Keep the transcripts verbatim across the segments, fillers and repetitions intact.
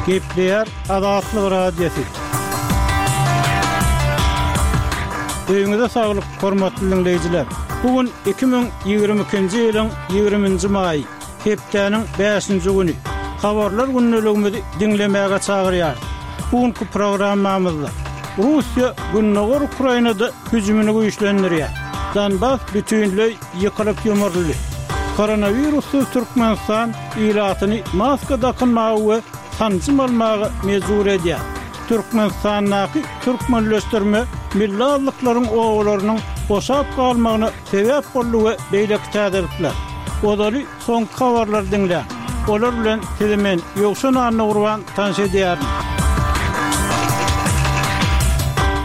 Gepleýär Azatlyk Radiosy. Öýüňize saglyk, hormatly diňleýjiler. Bu gün iki müň ýigrimi ikinji ýylyň ýigriminji maýy, hepdäniň bäşinji güni. Habarlar gündeligimizi diňlemäge çagyrýarys. Bu günki programmamyzda Russiýa Gündogar Ukrainada hüjümini güýçlendirýär. Donbas bütinleý ýykylyp ýumruldy. Koronawirussyz Türkmenistan ilatyny maska dakynmaga we sanjym almaga mejbur edýär. Türkmenistandaky türkmenleşdirme milli azlyklaryň obalarynyň boşap galmagyna sebäp boldy we beýleki täzelikler. Ozaly soňky habarlary diňläň. Olar bilen sizi men, Ýowşan Annagurban tanyş edýärin.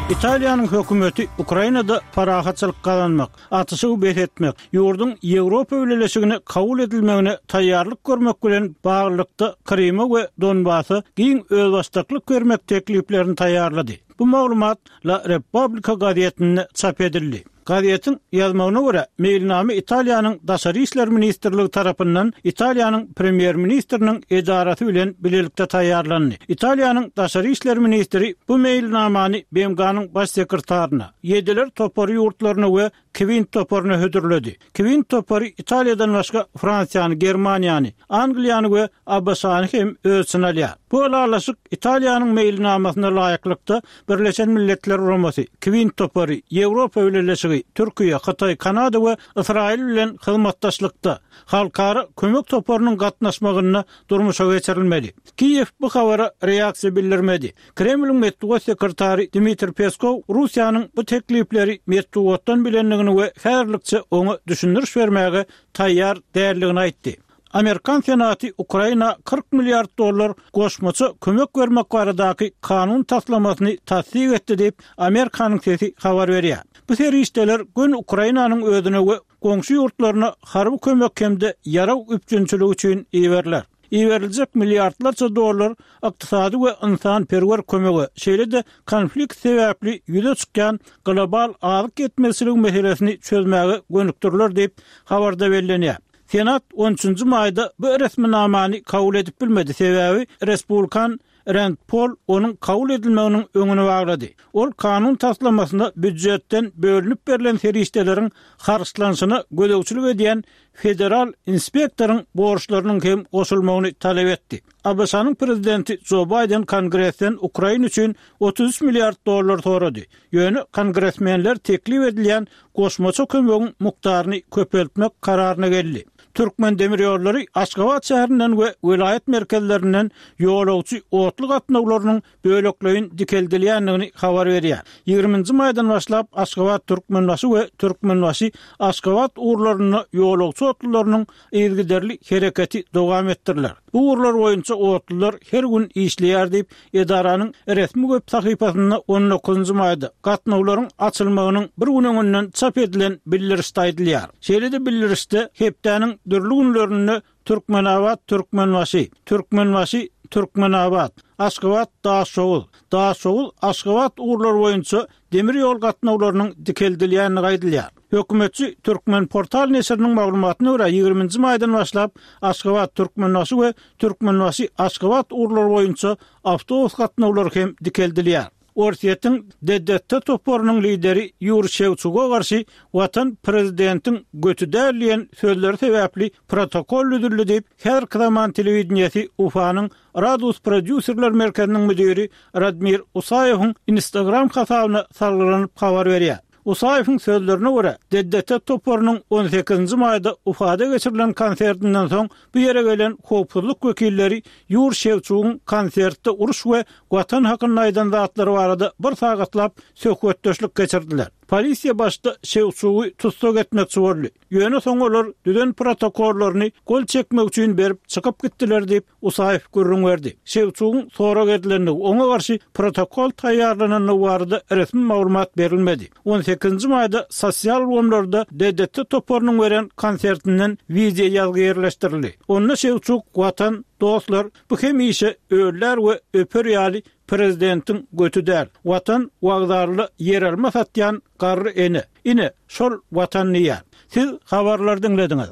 Italiýanyň hökümeti Ukrainada parahatçylyk gazanmak, atyşygy bes etmek, ýurduň Ýewropa Bileleşigine kabul edilmegine taýýarlyk görmek bilen baglylykda Kryma we Donbasa giň özbaşdaklyk bermek tekliplerini taýýarlady. Bu maglumat La Repubblica gazetinde çap edildi. Gazetiň ýazmagyna görä, meýilnama Italiýanyň Daşary işler ministrligi tarapyndan Italiýanyň Premýer-ministriniň edarasy bilen bilelikde taýýarlandy. Italiýanyň Daşary işler ministri bu meýilnamany B M G-nyň Baş sekretaryna, Ýediler topary ýurtlaryna we Kwint toparyna hödürledi. Kwint topary Italiýadan başga Fransiýany, Germaniýany, Angliýany we A B Ş-ny hem öz içine alýar. Bu ylalaşyk Italiýanyň meýilnamasyna laýyklykda Birleşen Milletler Guramasy, Kwint topary, Ýewropa Bileleşigi, Türkiýe, Hytaý, Kanada we Ysraýyl bilen hyzmatdaşlykda Halkara kömek toparynyň gatnaşmagynda durmuşa geçirilmeli. Kiýew bu habara reaksiýa bildirmedi. Kremliň metbugat sekretary Dmitriý Peskow Russiýanyň bu teklipleri metbugatdan bilendigini we häzirlikçe oňa düşündiriş bermäge taýýar däldigini aýtdy. Amerikan Senaty Ukraina kyrk milliard dollar goşmaça kömek bermek baradaky kanun taslamasyny tassyk etdi diýip, Amerikanyň sesi habar berýär. Bu serişdeler göni Ukrainanyň özüne we goňşy ýurtlaryna harby kömek hem-de ýarag üpjünçiligi üçin iberiler. Iberiljek milliardlarça dollar ykdysady we ynsanperwer kömege, şeýle-de konflikt sebäpli ýüze çykýan global azyk ýetmezçiligi meselesini çözmäge gönükdiriler diýip, habarda bellenýär. Senat on üçünji maýda bu resminamany kabul edip bilmedi, sebäbi respublikan Rend Pol onuň kabul edilmeginiň öňüni baglady. Ol kanun taslamasyna býujetden bölünip berlen serişdeleriň harçlanyşyna gözegçilik edýän federal inspektoryň borçlarynyň hem goşulmagyny talap etdi. A B Ş-nyň prezidenti Jo Baýden Kongresden Ukraina üçin otuz üç milliard dollar sorady. Ýöne kongresmenler teklip edilýän goşmaça kömegiň mukdaryny köpeltmek kararyna geldi. Türkmendemirýollary Aşgabat şäherinden we welaýat merkezlerinden ýolagçy otly gatnawlarynyň bölekleýin dikeldilýändigini habar berýär. Ýigriminji maýdan başlap Aşgabat-Türkmenbaşy we Türkmenbaşy-Aşgabat ugurlarynda ýolagçy otlylarynyň yzygiderli hereketi dowam etdiriler. Bu ugurlar boýunça otlylar her gün işleýär diýip, edaranyň resmi web sahypasynda on dokuzynjy maýda gatnawlaryň açylmagynyň bir gün öňünden çap edilen bildirişde aýdylýar. Şeýle-de bildirişde hepdäniň dürli günlerinde Türkmenabat, Türkmenbaşy, Türkmenbaşy, Türkmenabat, Aşgabat, Daşoguz, Daşoguz, Aşgabat ugurlary boýunça demir ýol gatnawlarynyň dikeldilýändigi aýdylýar. Hökümetçi Türkmenportal neşiriniň maglumatyna görä, ýigriminji maýdan başlap Aşgabat, Türkmenbaşy we Türkmenbaşy, Aşgabat ugurlary boýunça awtobus gatnawlary hem dikeldilýär. Orsýetiň D D T toparynyň lideri Ýuriý Şewçuga garşy Watan prezidentiň göti däl diýen sözleri sebäpli protokol düzüldi diýip, häzirki zaman telewideniýesi Ufanyň Radus prodýuserler merkeziniň müdiri Radmir Usaýewiň Instagram hasabyna salgylanyp habar berýär. Usaýewiň sözlerine görä, D D T toparynyň on sekizinji maýda Ufada geçirilen konsertinden soň bu ýere gelen howpsuzlyk wekilleri Ýuriý Şewçugyň konsertde uruş we Watan hakynda aýdan zatlary barada bir sagatlap söhbetdeşlik geçirdiler. Polisiýa başda Şewçugy tussag etmekçi boldy. Ýöne soň olar düzen protokollaryny gol çekmek üçin berip çykyp gitdiler diýip, Usaýew gürrüň berdi. Şewçugyň sorag edilendigi, oňa garşy protokol taýýarlanandygy barada resmi maglumat berilmedi. On sekizinji maýda sosial ulgamlarda D D T toparynyň beren konsertinden wideo ýazgy ýerleşdirildi. Onda Şewçuk Watan, dostlar, bu hemişe öller we öper ýaly prezidentiň göti däl. Watan wagzarly ýeralma satýan garry ene. Ine, şol Watan diýýär. Siz habarlary diňlediňiz.